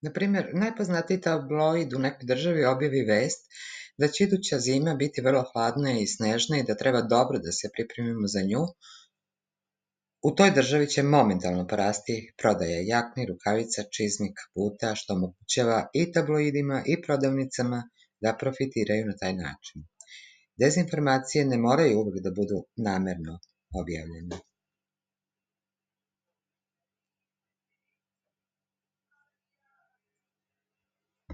Na primjer, najpoznatiji tabloid u nekoj državi objavi vest da će iduća zima biti vrlo hladna i snežna i da treba dobro da se pripremimo za nju. U toj državi će momentalno porasti prodaja jakni, rukavica, čizmi, kaputa, što omogućava i tabloidima i prodavnicama da profitiraju na taj način. Dezinformacije ne moraju uvek da budu namerno objavljene.